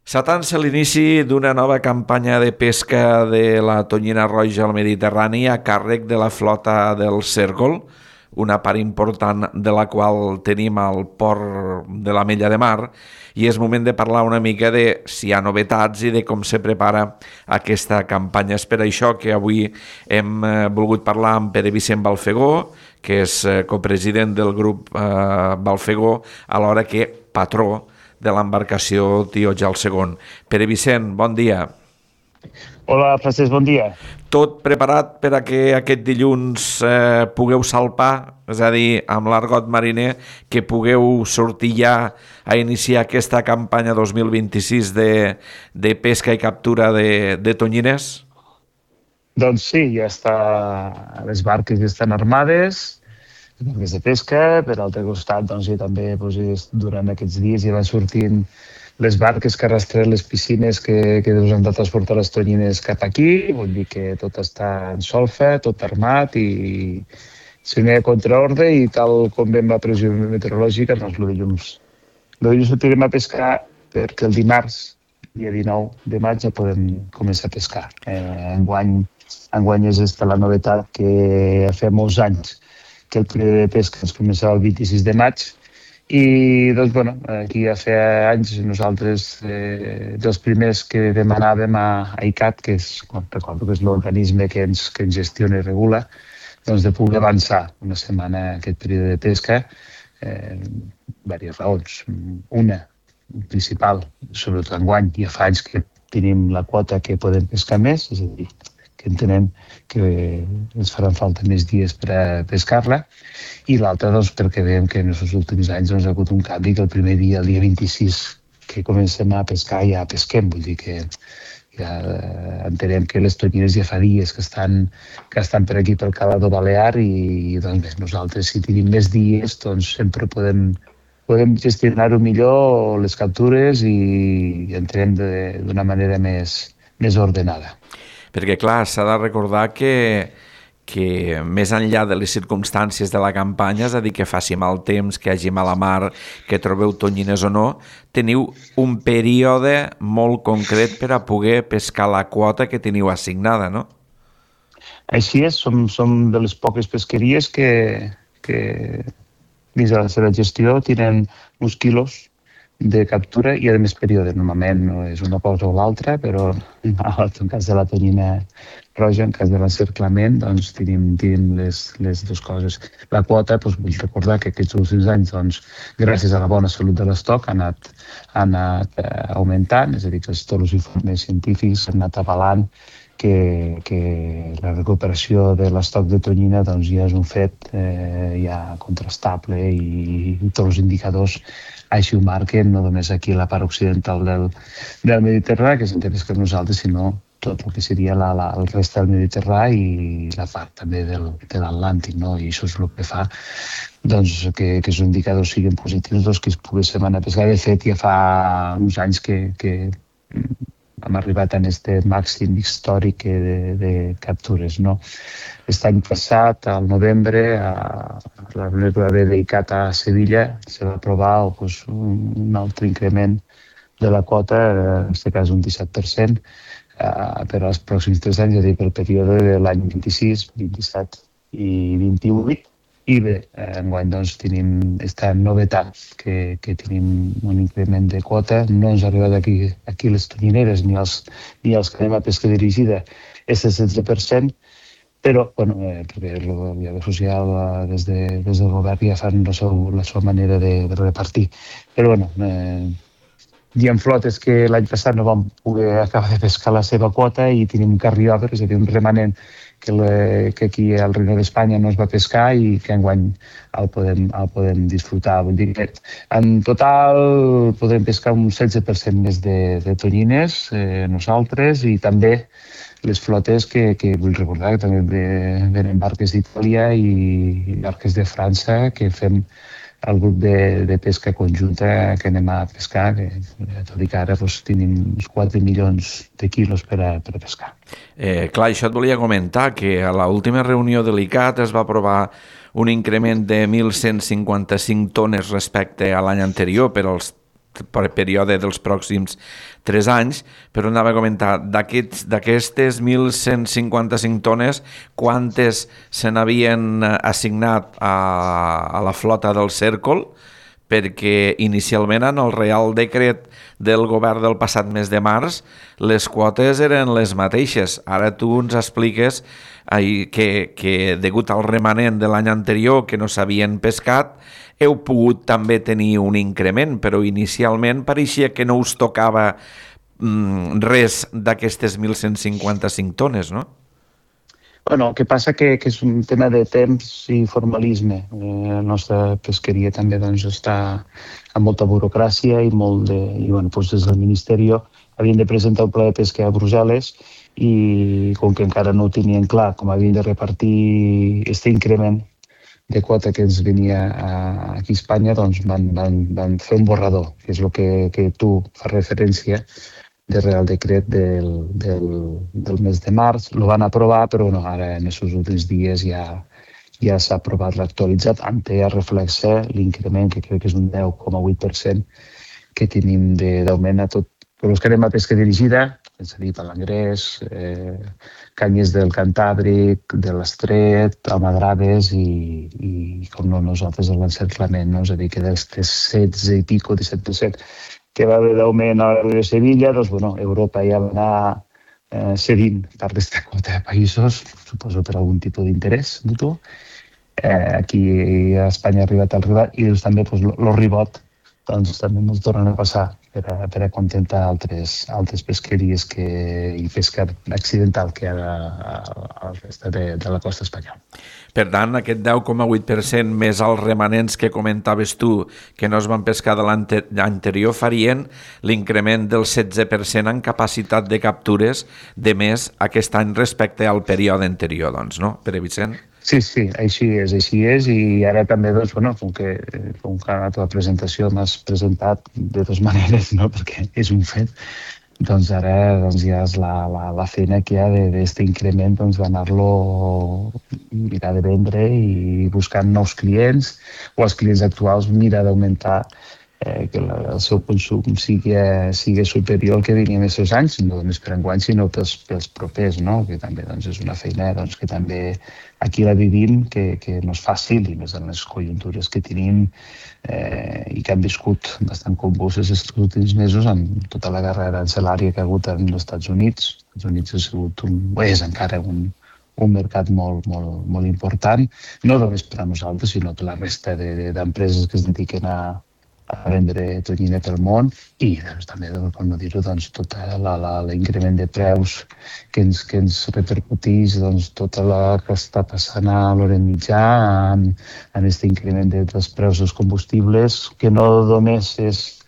S'atança l'inici d'una nova campanya de pesca de la tonyina roja al Mediterrani a càrrec de la flota del Cérvol, una part important de la qual tenim al port de la Mella de Mar, i és moment de parlar una mica de si hi ha novetats i de com se prepara aquesta campanya. És per això que avui hem volgut parlar amb Pere Vicent Balfegó, que és copresident del grup Balfegó, alhora que patró de l'embarcació Tioja el II. Pere Vicent, bon dia. Hola, Francesc, bon dia. Tot preparat per a que aquest dilluns pugueu salpar, és a dir, amb l'argot mariner, que pugueu sortir ja a iniciar aquesta campanya 2026 de pesca i captura de tonyines? Doncs sí, ja està, les barques ja estan armades, les barques de pesca. Per l'altre costat, doncs, i també durant aquests dies ja van sortint les barques que arrastren les piscines que han de transportar les tonyines cap aquí. Vull dir que tot està en solfa, tot armat i si no hi ha contraordre i tal com vam la previsió meteorològica, doncs el dilluns sortirem a pescar perquè el dimarts, dia 19 de maig, ja podem començar a pescar. Enguany és esta la novetat, que fa molts anys que el període de pesca ens començava el 26 de maig i doncs, bueno, aquí ja fa anys nosaltres dels primers que demanàvem a ICAT, que és, recordo que és l'organisme que ens gestiona i regula, doncs de poder avançar una setmana aquest període de pesca. Diverses raons. Una principal, sobretot enguany, ja fa anys que tenim la quota que podem pescar més, és a dir, que entenem que ens faran falta més dies per a pescar-la, i l'altra doncs, perquè veiem que en els últims anys doncs, ha hagut un canvi, que el primer dia, el dia 26, que comencem a pescar, ja pesquem. Vull dir que ja entenem que les tonyines ja fa dies que estan per aquí pel Calador Balear i doncs bé, nosaltres si tenim més dies doncs sempre podem gestionar-ho millor, les captures, i entenem d'una manera més ordenada. Perquè, clar, s'ha de recordar que més enllà de les circumstàncies de la campanya, és a dir, que faci mal temps, que hi hagi mala mar, que trobeu tonyines o no, teniu un període molt concret per a poder pescar la quota que teniu assignada, no? Així és, som de les poques pesqueries que dins de la seva gestió tenen uns quilos de captura i a més període. Normalment no és una cosa o l'altra, però en cas de la tonyina roja, en cas de l'encerclament, doncs tenim les dues coses. La quota, doncs, vull recordar que aquests últims anys, doncs, gràcies a la bona salut de l'estoc, ha anat augmentant, és a dir, que tots els informes científics han anat avalant que la recuperació de l'estoc de tonyina doncs, ja és un fet ja contrastable i tots els indicadors així ho marquen, no només aquí a la part occidental del Mediterrani, que s'entén per nosaltres, sinó tot el que seria el rest del Mediterrani i la part també de l'Atlàntic, no? I això és el que fa doncs, que els indicadors siguin positius, doncs, que es poguéssim anar a pescar. De fet, ja fa uns anys que hem arribat a aquest màxim històric de captures, no? L'any passat, al novembre, a la reunió que va haver d'ICAT a Sevilla, se va aprovar un altre increment de la quota, en aquest cas un 17%, per als pròxims 3 anys, és a dir, pel període de l'any 26, 27 i 28. I bé, enguany doncs, tenim aquesta novetat, que tenim un increment de quota. No ens ha arribat aquí les tonyineres ni els que anem a pesca dirigida, és el 16%, però perquè el diàleg social des del govern ja fan la seva manera de repartir. Però hi ha flotes que l'any passat no vam poder acabar de pescar la seva quota i tenim un carryover, és a dir, un remanent que aquí al Regne d'Espanya no es va pescar i que enguany el podem disfrutar. Vull dir que en total podem pescar un 16% més de tonyines nosaltres, i també les flotes que vull recordar que també venen barques d'Itàlia i barques de França, que fem el grup de pesca conjunta que anem a pescar, que tot i que ara tenim uns 4 milions de quilos per a pescar. Clar, això et volia comentar, que a l'última reunió de l'ICAT es va aprovar un increment de 1.155 tones respecte a l'any anterior per als període dels pròxims 3 anys, però anava a comentar, d'aquestes 1.155 tones, quantes se n'havien assignat a la flota del Cèrcol, perquè inicialment en el Real Decret del govern del passat mes de març les quotes eren les mateixes. Ara tu ens expliques que degut al remanent de l'any anterior que no s'havien pescat, heu pogut també tenir un increment, però inicialment pareixia que no us tocava res d'aquestes 1.155 tones, no? Bueno, el que passa que és un tema de temps i formalisme. La nostra pesqueria també doncs, està amb molta burocràcia i doncs, des del Ministeri havien de presentar un pla de pesca a Brussel·les i com que encara no ho tenien clar com havien de repartir aquest increment de quota que ens venia aquí a Espanya, doncs van fer un borrador, que és el que tu fas referència del Real Decret del mes de març. Lo van aprovar, però no, ara en aquests últims dies ja s'ha aprovat l'actualitzat, on ja reflexa l'increment, que crec que és un 10,8% que tenim d'augment a tot. Però els que anem a pesca dirigida, és a dir, palangrers, canyes del Cantàbric, de l'Estret, almadraves i com no nosaltres, l'encerclament, no? És a dir, que dels 16 i pico, 17%, que va haver d'augment a la de Sevilla, doncs, bueno, Europa ja va anar cedint part d'esta quota de països, suposo per algun tipus d'interès mutu. Aquí a Espanya ha arribat el ribat i doncs, també el ribot doncs, també ens tornen a passar per a contentar altres pesqueries i pesca accidental que hi ha a la resta de la costa espanyola. Per tant, aquest 10,8% més els remanents que comentaves tu, que no es van pescar de l'anterior, farien l'increment del 16% en capacitat de captures de més aquest any respecte al període anterior, doncs, no, Pere Vicent? Sí, així és, i ara també, doncs, bueno, com que a la teva presentació m'has presentat de dues maneres, no?, perquè és un fet, doncs ara ja és la feina que hi ha d'aquest increment, doncs d'anar-lo mirar de vendre i buscant nous clients, o els clients actuals mirar d'augmentar que el seu consum sigui superior al que veníem aquests anys, no només per enguany, sinó pels propers, no? Que també doncs, és una feina que també aquí la vivim, que no és fàcil, i més en les conjuntures que tenim i que han viscut bastant convulses aquests últims mesos amb tota la guerra arancelària que ha hagut als Estats Units. Els Estats Units ha sigut és encara un mercat molt important, no només per a nosaltres, sinó per la resta d'empreses que es dediquen a vendre tonyina pel món i doncs, també, com no dir-ho, doncs, tot l'increment de preus que ens repercuteix doncs, tota la que està passant a l'Orient Mitjà en aquest increment dels preus dels combustibles, que no només és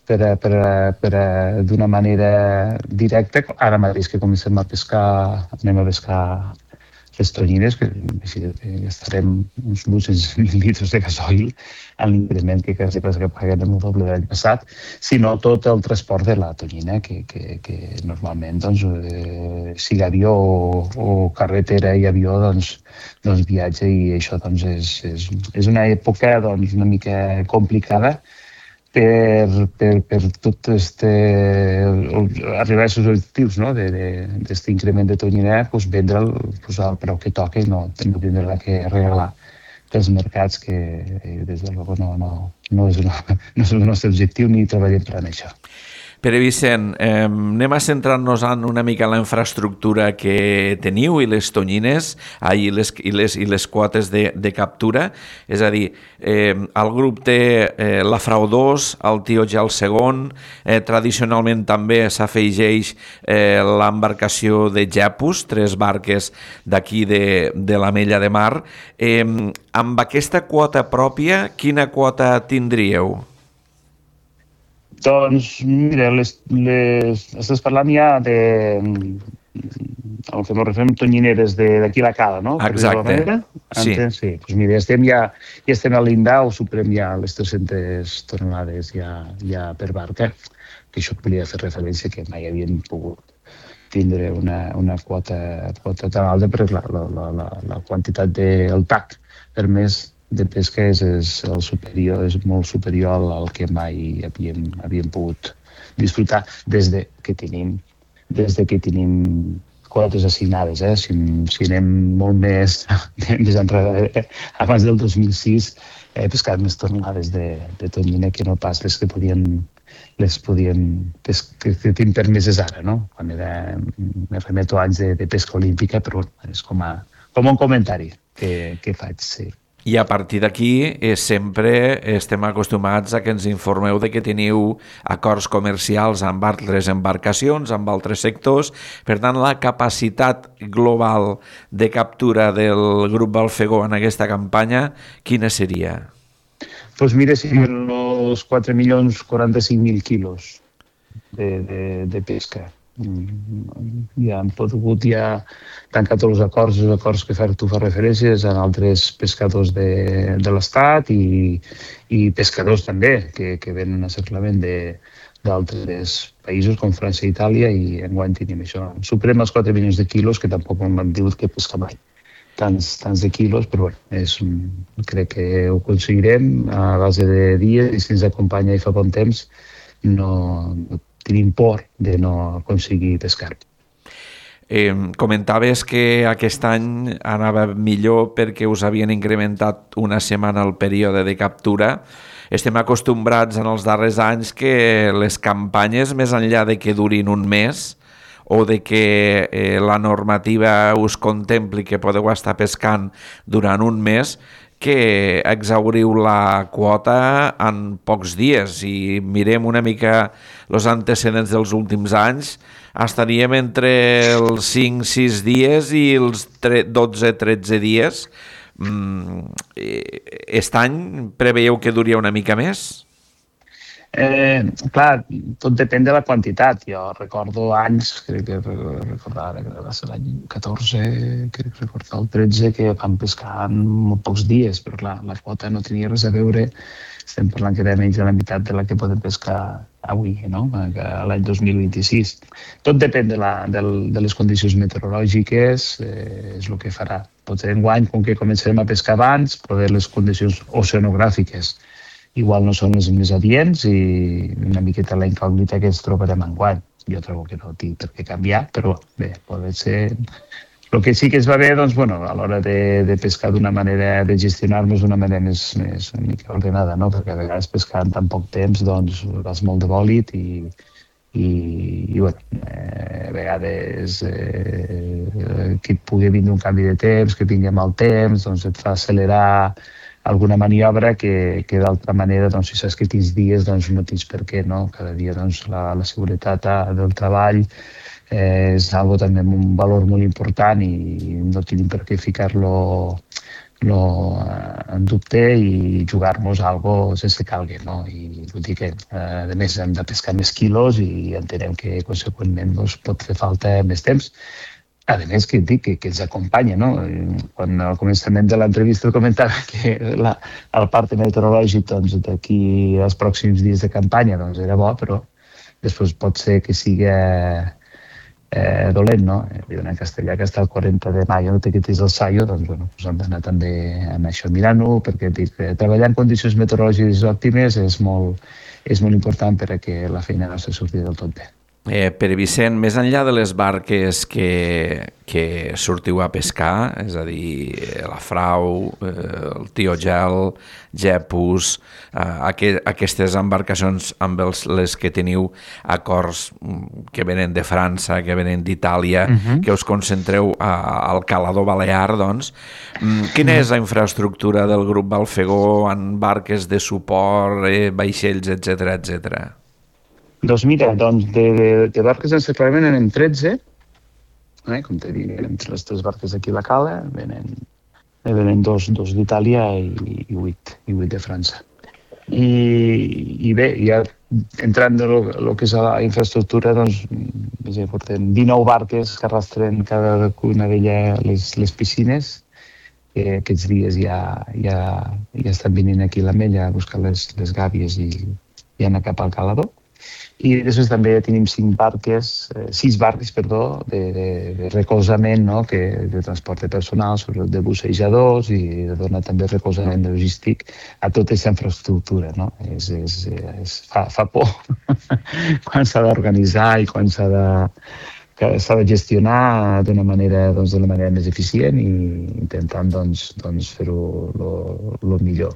d'una manera directa. Ara mateix que comencem a pescar, anem a pescar les tonyines, que gastarem uns 800 litres de gasoil en l'increment que quasi que paguem el doble de l'any passat, sinó tot el transport de la tonyina, que normalment, doncs, sigui avió o carretera i avió, doncs viatja, i això doncs, és una època doncs, una mica complicada per tot arribar a aquests objectius, no? D'aquest increment de tonyina, vendre'l al preu que toca i no tindre que regalar pels mercats, que des de luego no és el nostre objectiu ni treballem per això. Pere Vicent, anem a centrar-nos en una mica en la infraestructura que teniu i les tonyines i les quotes de captura. És a dir, el grup té la Frau 2, el Tioja el segon, tradicionalment també s'afegeix l'embarcació de Jepus, 3 barques d'aquí de l'Amella de Mar. Amb aquesta quota pròpia, quina quota tindríeu? Doncs, mira, estàs parlant ja de el que ens referim tonyineres d'aquí a la cala, no? Exacte, sí. Sí, doncs mira, ja estem al llindar o superem ja les 300 tonelades ja per barca, que això volia fer referència que mai havien pogut tindre una quota tan alta, perquè la quantitat del TAC per mes de pesca és el superior, és molt superior al que mai havíem pogut disfrutar des que tenim quotes assignades. Si anem molt més enrere, abans del 2006 he pescat més tornades de tonyina que no pas les que tinc permeses ara, no? Quan me remeto anys de pesca olímpica, però és com un comentari que faig, sí. I a partir d'aquí sempre estem acostumats a que ens informeu de que teniu acords comercials amb altres embarcacions, amb altres sectors. Per tant, la capacitat global de captura del grup Balfegó en aquesta campanya, quina seria? Doncs mira, serien els 4.045.000 quilos de pesca. Ja hem pogut tancar tots els acords que tu fa referències en altres pescadors de l'Estat i pescadors també que venen a cerclament d'altres països com França i Itàlia, i enguany tenim això. Superem els 4 milions de quilos, que tampoc m'han dit que pesca mai tants de quilos, però crec que ho aconseguirem a base de dies, i si ens acompanya i fa bon temps no tenim por de no aconseguir pescar. Comentaves que aquest any anava millor perquè us havien incrementat una setmana el període de captura. Estem acostumbrats en els darrers anys que les campanyes, més enllà de que durin un mes o de que la normativa us contempli que podeu estar pescant durant un mes, que exhauriu la quota en pocs dies. Si mirem una mica els antecedents dels últims anys, estaríem entre els 5-6 dies i els 12-13 dies. Aquest any preveieu que duria una mica més? Clar, tot depèn de la quantitat. Jo recordo anys, crec que recordar que va ser l'any 14, crec recordar el 13, que vam pescar en molt pocs dies, però clar, la quota no tenia res a veure. Estem parlant que era menys de la meitat de la que podem pescar avui, no? L'any 2026. Tot depèn de les condicions meteorològiques, és el que farà. Potser enguany, com que començarem a pescar abans, poder les condicions oceanogràfiques igual no són les més adients, i una miqueta la incògnita que ens trobarem enguany. Jo trobo que no tinc per què canviar, però bé, pot ser. El que sí que es va bé, doncs, a l'hora de pescar d'una manera, de gestionar-nos d'una manera més una mica ordenada, no? Perquè a vegades pescar en tan poc temps, doncs, vas molt de bòlit i a vegades que et pugui vindre un canvi de temps, que vingui mal temps, doncs et fa accelerar alguna maniobra que d'altra manera, doncs, si saps que tens dies, doncs no tens per què, no? Cada dia, doncs, la seguretat del treball és algo també amb un valor molt important i no tenim per què ficar-lo en dubte i jugar-nos algo sense calgui, no? I vull dir que, a més, hem de pescar més quilos i entenem que, conseqüentment, pot fer falta més temps. A més, que dic que ens acompanya, no? Quan al començament de l'entrevista comentava que el part meteorològic, doncs, d'aquí als pròxims dies de campanya, doncs, era bo, però després pot ser que sigui dolent, no? Diuen en castellà que està el 40 de maio no te quitis el saio, doncs, hem d'anar també amb això mirant-ho, perquè dic que treballar en condicions meteorològiques òptimes és molt important per a que la feina nostra surti del tot bé. Pere Vicent, més enllà de les barques que sortiu a pescar, és a dir, la Frau, el Tio Gel, Gepus, aquestes embarcacions amb les que teniu acords que venen de França, que venen d'Itàlia, que us concentreu al Calador Balear, doncs, quina és la infraestructura del grup Balfegó en barques de suport, vaixells, etcètera? Doncs mira, de barques en cerclament anem 13, com te dic, entre les 3 barques d'aquí a la cala, venen dos d'Itàlia i 8 de França. I bé, ja entrant en el que és la infraestructura, doncs, portem 19 barques que arrastren cadascuna d'elles les piscines, que aquests dies ja estan venint aquí a l'Ametlla a buscar les gàbies i anar cap al Calador. I després també tenim 6 barques, de recolzament, no? De transport de personal, sobretot de bussejadors, i de donar també recolzament logístic a tota aquesta infraestructura. No? Fa por quan s'ha d'organitzar i quan s'ha de gestionar d'una manera més eficient i intentant fer-ho el millor.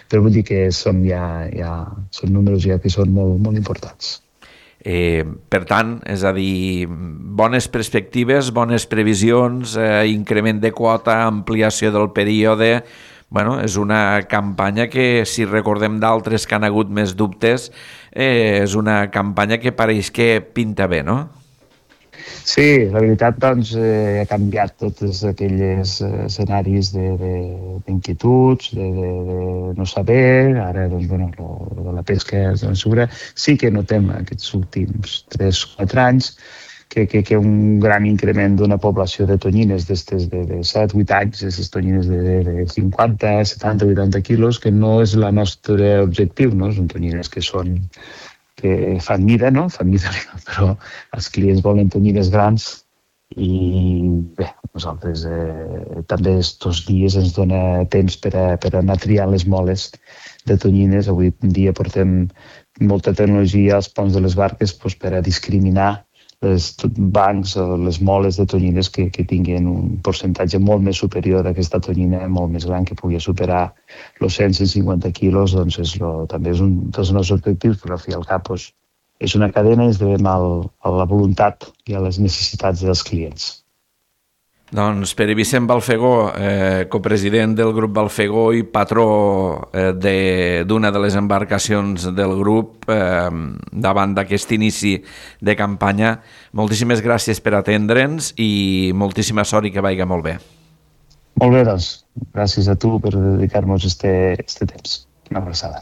Però vull dir que són números que són molt, molt importants. Per tant, és a dir, bones perspectives, bones previsions, increment de quota, ampliació del període. Bueno, és una campanya que, si recordem d'altres que han hagut més dubtes, és una campanya que pareix que pinta bé, no? Sí, la veritat, ha canviat tots aquells escenaris d'inquietuds, de no saber. Ara, de la pesca segura, sí que notem aquests últims 3-4 anys que un gran increment d'una població de tonyines d'estes de 7-8 anys, aquestes tonyines de 50, 70, 80 quilos, que no és el nostre objectiu, no? Són tonyines que fan mida, no? Fan mida, però els clients volen tonyines grans i bé, nosaltres també aquests dies ens dona temps per anar triant les moles de tonyines. Avui en dia portem molta tecnologia als ponts de les barques per a discriminar les bancs o les moles de tonyines que tinguin un percentatge molt més superior a aquesta tonyina molt més gran, que pugui superar els 150 quilos. També és un dels nostres objectius, però al fi i al cap és una cadena i es devem a la voluntat i a les necessitats dels clients. Doncs Pere Vicent Balfegó, copresident del grup Balfegó i patró d'una de les embarcacions del grup davant d'aquest inici de campanya, moltíssimes gràcies per atendre'ns i moltíssima sort i que vagi molt bé. Molt bé, doncs. Gràcies a tu per dedicar-nos este temps. Una abraçada.